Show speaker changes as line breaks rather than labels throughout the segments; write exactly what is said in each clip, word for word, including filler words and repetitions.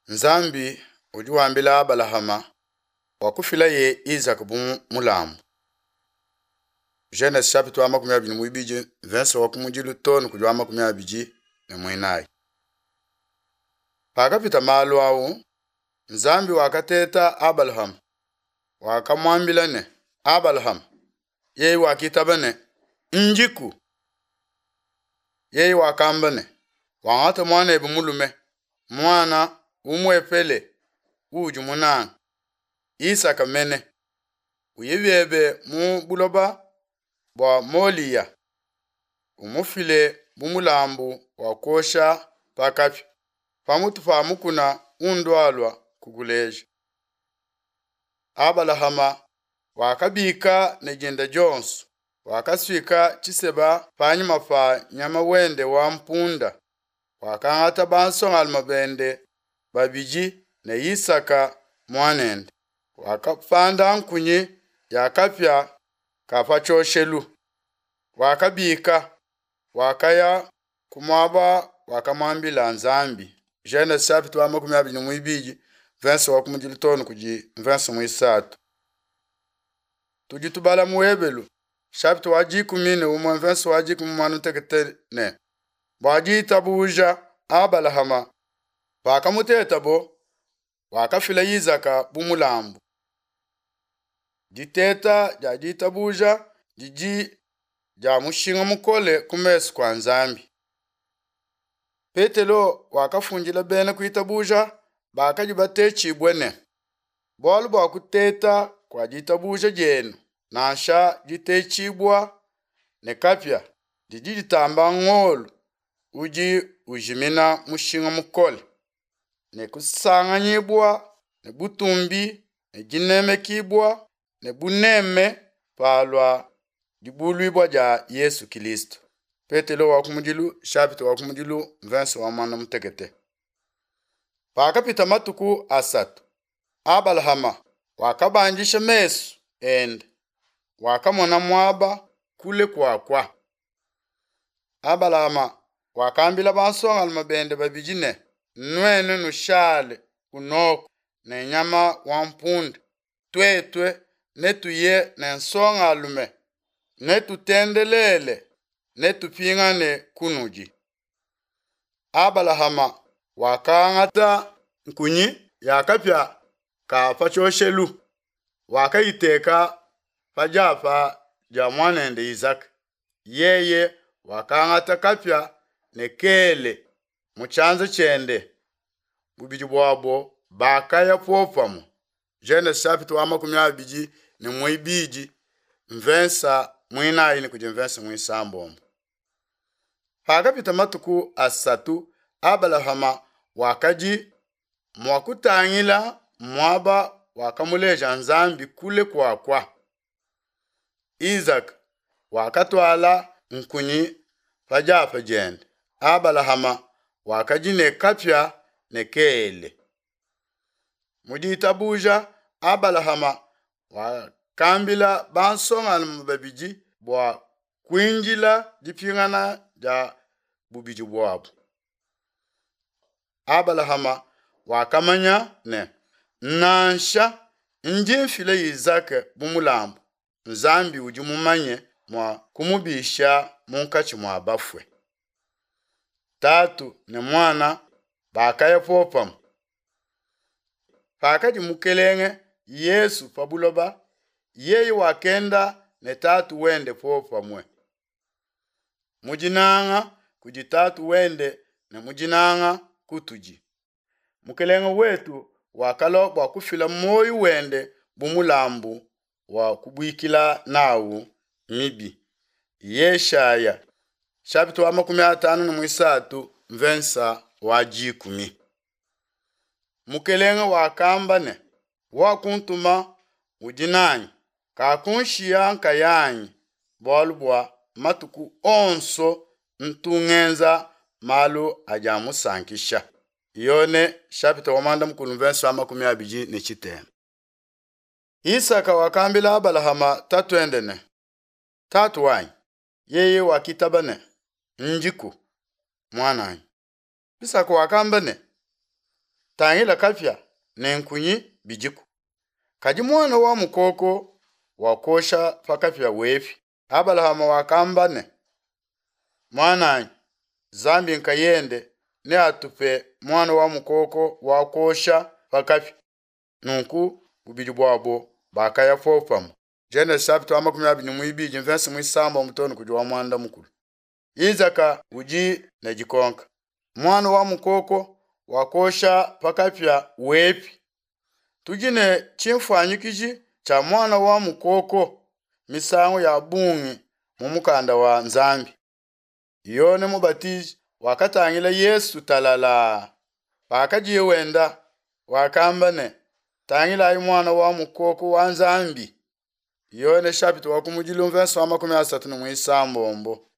Nzambi udi wambila Abalahama bua kufilaye Izaka bu mulambu. Genese chapitre wa makumi abidi ne muibidi verse wa kumudilu too ne kudi wa makumi abidi ne muinayi. Pakapita malu awu, Nzambi wakateta Abalahama, wakamuambila ne, Abalahama, yeye wakitaba ne, Ndiku. Yeye wakamba ne, Wangate muanebe mulume, muana umuepele uudi munange, Isaka mene, uye biebe mu buloba bua Moliya, umufile bu mulambu wa kuosha pa kapia, pamutu pa mukuna undualua kukuleja. Abalahama wakabika ne dinda dionso, wakasuika tshiseba panyima pa nyama wende wa mpunda, wakangata bansongalume bende babidi ne Isaka muanende, wakapanda nkunyi ya kapia ka pa tshioshelu, wakabika, wakaya ku muaba wakamuambila Nzambi. Genese chapitre wa makumi abidi ne muibidi verse wa kumudilu too ne kudi verse muisatu. Tudi tubala mu Ebelu chapitre wa dikumi ne umue verse wa dikumi muanda mutekete ne bua ditabuja Abalahama pakamutetabo wakafila Izaka bu mulambu. Diteta dia ditabuja didi dia mushinga mukole ku mesu kua Nzambi. Petelo wakafundila bena kuitabuja bakadi batetshibue ne, bualu bua kuteta kua ditabuja dienu nansha ditetshibua ne kapia didi ditamba ngolo udi ujimina mushinga mukole ne kusanganyibua ne butumbi ne dinemekibua ne buneme palua dibuluibua dia Yesu Kilisto. Petelo wa kumudilu chapitre wa kumudilu verse wa muanda mutekete. Pakapita matuku asatu, Abalahama wakabandisha mesu ende, wakamona muaba kule kuakua. Abalahama wakambila bansongalume bende babidi ne, nuenu nushale kunoko ne nyama wa mpunda, tuetue netuye ne nsongalume, netutendelele, netupingane kunudi. Abalahama wakangata nkunyi ya kapia ka pa tshioshelu, wakayiteka pa diapa dia muanende Izaka. Yeye wakangata kapia ne kele mu tshianza tshiende, bubidi buabo bakaya popamue. Genese chapitre wa makumi abidi ne muibidi mvensa muinayi ne kudi mvensa muisambombo. Pakapita matuku asatu, Abalahama wakadi mua kutangila muaba wakamuleja Nzambi kule kuakua. Izaka wakatuala nkunyi pa diapa diende. Abalahama wakadi ne kapia ne kele. Mu ditabuja Abalahama wakambila bansongalume babidi bua kuindila dipingana dia bubidi buabu. Abalahama wakamanya ne, nansha ndi mfila Izaka bu mulambu, Nzambi udi mumanye mua kumubisha munkatshi mua bafue. Tatu ne muana bakaya popamue. Pakadi mukelenge Yesu pa buloba, yeye wakenda ne tatu wende popamue. Mu dinanga kudi tatu wende ne mu dinanga kutudi. Mukelenge wetu wakalua bua kufila muoyo wende bu mulambu wa kubuikila nawu mibi. Yeshaya chapitre wa makumi atanu ne muisatu mvensa wa dikumi. Mukelenge wakamba ne, wakuntuma udi nanyi, kakunshiya nkayanyi, bualu bua matuku onso ntu ngenza malu adi amusankisha. Yone chapitre wa muanda mukulu mvensa wa makumi abidi ne tshitema. Isaka wakambila Abalahama tatuende ne, tatu wanyi. Yeye wakitaba ne, ndiku muananyi. Isaka wakamba ne, Tangila kapia ne nkunyi bidiku, kadi muana wa mukoko wa kuosha pa kapia wepi? Abalahama wakamba ne, Muananyi, Nzambi nkayende neatupe muana wa mukoko wa kuosha pa kapia. Nunku bubidi buabo bakaya popamue. Genese chapitre wa makumi abidi ne muibidi mvese muisambombo too ne kudi wa muanda mukulu. Izaka udi ne dikonka. Muana wa mukoko wa kuosha pa kapia wepi? Tudi ne tshinfuanyikiji tshia muana wa mukoko misangu ya bungi mu mukanda wa Nzambi. Yone Mubatiji wakatangila Yesu talalaa, pakadiye wenda, wakamba ne, Tangilayi Muana wa mukoko wa Nzambi. Yone chapitre wa kumudilu mvese wa makumi asatu ne muisambombo.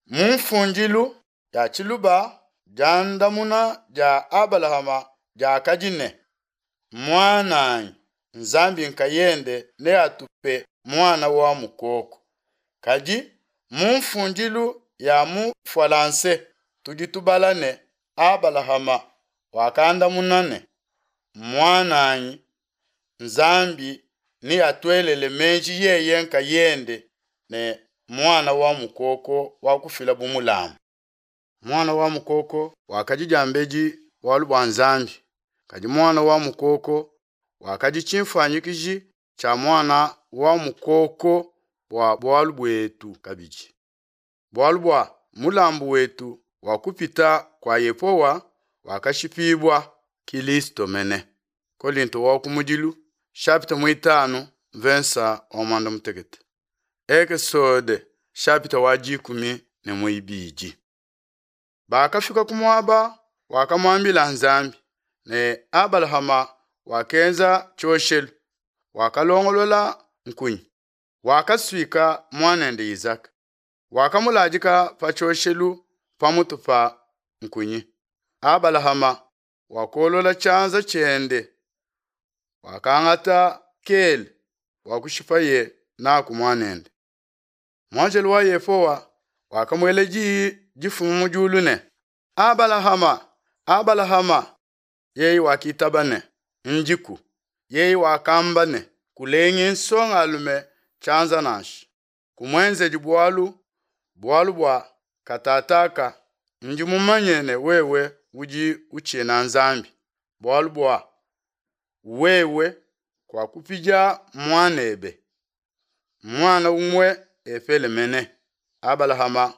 Mu mfundilu ya tshiluba diandamuna dia Abalahama diakadi ne, Muananyi, Nzambi nkayende neatupe muana wa mukoko. Kadi mu mfundilu ya mu fwalanse tudi tubala ne, Abalahama wakandamuna ne, Muananyi, Nzambi neatuelele meji yeye nkayende ne muana wa mukoko wa kufila bu mulambu. Muana wa mukoko wakadi diambedi bualu bua Nzambi, kadi muana wa mukoko wakadi tshinfuanyikiji tshia Muana wa mukoko bua bualu buetu kabidi. Bualu bua mulambu wetu wa Kupita kua Yehowa wakashipibua, Kilisto mene. Kolinto wa kumudilu chapitre muitanu mvensa wa muanda mutekete. Ekesode chapitre wa dikumi ne muibidi. Bakafika ku muaba wakamuambila Nzambi, ne Abalahama wakenza tshioshelu, wakalongolola nkunyi, wakasuika muanende Izaka, wakamuladika pa tshioshelu pamutu pa nkunyi. Abalahama wakolola tshianza tshiende, wakangata kele bua kushipaye naku muanende. Muanjelo wa Yehowa wakamuela diyi difuma mu diulu ne, Abalahama, Abalahama! Yeye wakitaba ne, Ndiku. Yeye wakamba ne, Kulengi nsongalume tshianza nansha, kumuenzedi bualu, bualu bua katataka ndi mumanye ne wewe udi utshina Nzambi, bualu bua wewe kuakupidia muanebe, muana umue epele mene. Abalahama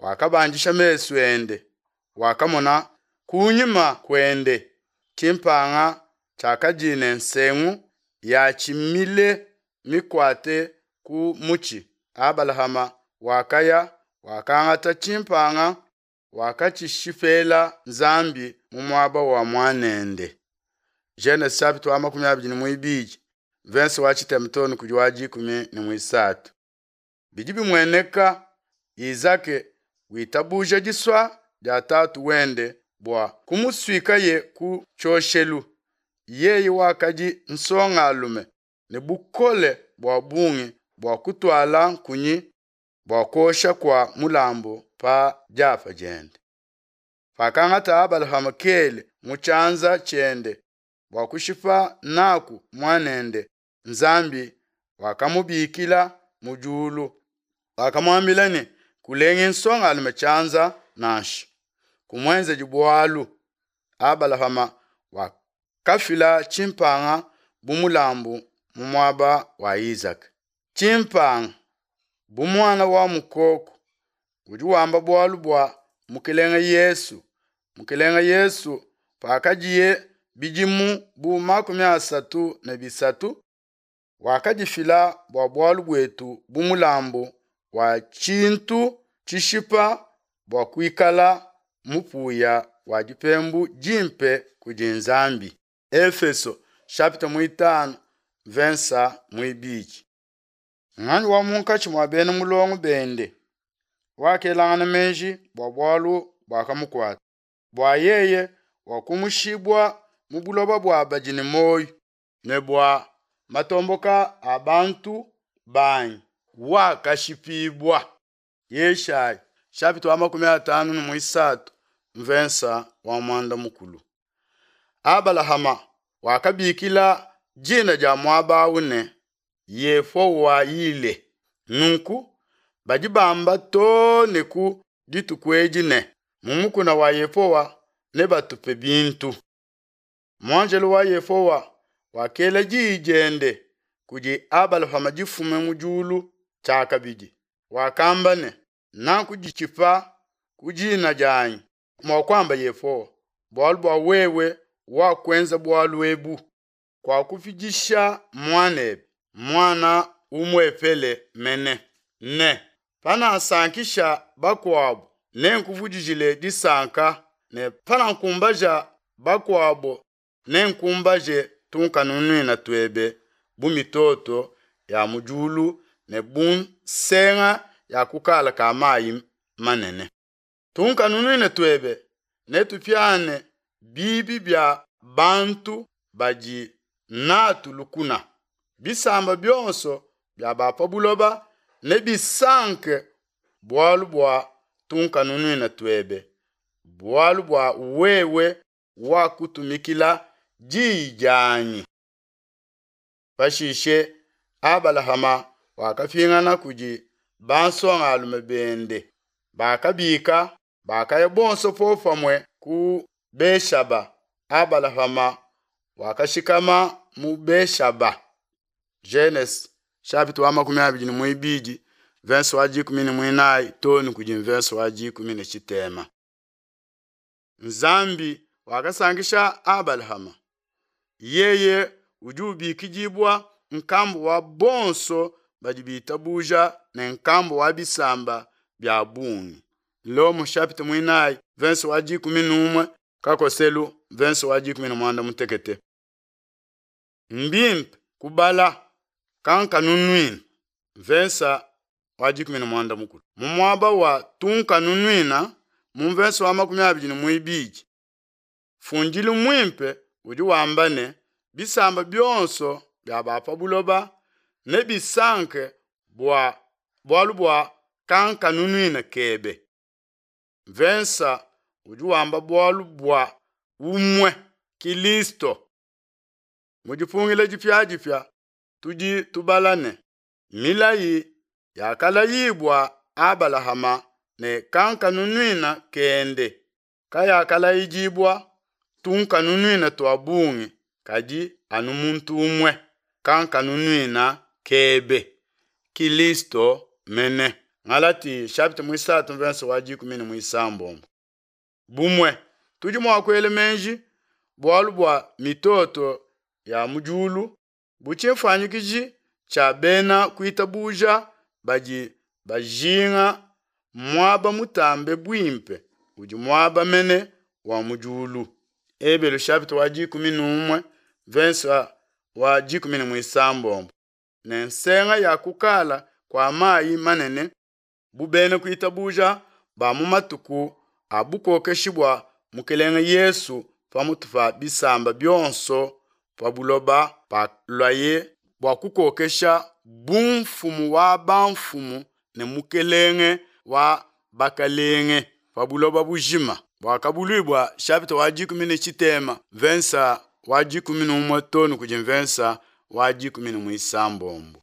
wakabandisha mesu ende, wakamona kunyima kuende tshimpanga tshiakadi ne nsengu yatshi mile mikuate ku mutshi, Abalahama wakaya, wakangata tshimpanga, wakatshishipela Nzambi mu muaba wa muanende. Genese chapitre wa makumi abidi ne muibidi mvese wa tshitema too ne kudi wa dikumi ne muisatu. Bidi bimueneka Izake witabuja disua dia tatu wende bua kumusuikaye ku tshioshelu. Yeye wakadi nsongalume ne bukole bua bungi bua kutuala nkunyi bua kuosha kua mulambu pa diapa diende. Pakangata Abalahama kele mu tshianza tshiende bua kushipa naku muanende, Nzambi wakamubikila mu diulu, wakamuambila ne, Kulengi nsongalume tshianza nansha, kumuenzedi bualu. Abalahama wakafila tshimpanga bu mulambu mu muaba wa Izaka. Tshimpanga bu muana wa mukoko udi wamba bualu bua Mukelenge Yesu. Mukelenge Yesu pakadiye bidimu bu makumi asatu ne bisatu wakadifila bua bualu buetu bu mulambu wa tshintu tshishipa bua kuikala mupuya wa dipembu dimpe kudi Nzambi. Efeso chapitre muitanu mvensa muibidi. Nganyi wa munkatshi mua bena mulongo bende wakelangana meji bua bualu buakamukuata, bua yeye wakumushibua mu buloba bua badi ne muoyo, ne bua matomboka a bantu banyi wakashipibua? Yeshaya chapitre wa makumi atanu ne muisatu mvensa wa muanda mukulu. Abalahama wakabikila dina dia muaba au ne, Yehowa-yile. Nunku badi bamba too ne ku dituku edi ne, Mu mukuna wa Yehowa nebatupe bintu. Muanjelu wa Yehowa wakela diyi diende kudi Abalahama difume mu diulu tshiakabidi, wakamba ne, Nakuditshipa ku dina dianyi, muakuamba Yehowa, bualu bua wewe wakuenza bualu ebu, kuakupidisha muanebe, muana umuepele mene, ne, Panasankisha bakuabo, nenkuvudijile disanka, ne panankumbaja bakuabo, nenkumbaje tunkanunuina tuebe bu mitoto ya mu diulu ne bu nsenga ya kukala ka mayi manene. Tunkanunuina tuebe netupiane bibi bia bantu badi natu lukuna. Bisamba bionso bia ba pa buloba nebisanke bualu bua tunkanunuina tuebe, bualu bua wewe wakutumikila diyi dianyi. Pashishe Abalahama wakapingana kudi bansongalume bende, bakabika, bakaya bonso popamue ku Be-shaba, Abalahama wakashikama mu Be-shaba. Genese chapitre wa makumi abidi ne muibidi verse wa dikumi ne muinayi too ne kudi verse wa dikumi ne tshitema. Nzambi wakasankisha Abalahama, yeye udi ubikidibua nkambua wa bonso badi bitabuja ne nkambua wa bisamba bia bungi. Lomo chapitre muinayi verse wa dikumi n'umue kakoselu verse wa dikumi ne muanda mutekete. Mbimpe kubala kankanunuina verse wa dikumi ne muanda mukulu. Mu muaba wa tunkanunuina mu verse wa makumi abidi ne muibidi fundilu muimpe udi wamba ne bisamba bionso bia ba pa buloba nebisanke bua bualu bua kankanunuina kebe. Vensa udi wamba bualu bua umue Kilisto. Mu dipungila dipiadipia tudi tubala ne milayi yakalayibua Abalahama ne kankanunuina kende kayakalayidibua tunkanunuina tua bungi kadi anu muntu umue kankanunuina kebe Kilisto mene. Galati chapitre muisatu verse wa dikumi ne muisambombo. Bumue tudi mua kuela meji bualu bua mitoto ya mu diulu bu tshimfuanyikiji tshia bena kuitabuja badi bajinga muaba mutambe buimpe udi muaba mene wa mu diulu. Ebelu chapitre wa dikumi n'umue verse wa dikumi ne muisambombo ne nsenga ya kukala kua mayi manene bu bena kuitabuja ba mu matuku a bukokeshi bua Mukelenge Yesu pamutu pa bisamba bionso pa buloba paluaye bua kukokesha bu mfumu wa bamfumu ne mukelenge wa bakalenge pa buloba bujima. Buakabuluibua chapitre wa dikumi ne tshitema verse wa dikumi n'umue too ne kudi verse wa dikumi ne muisambombo.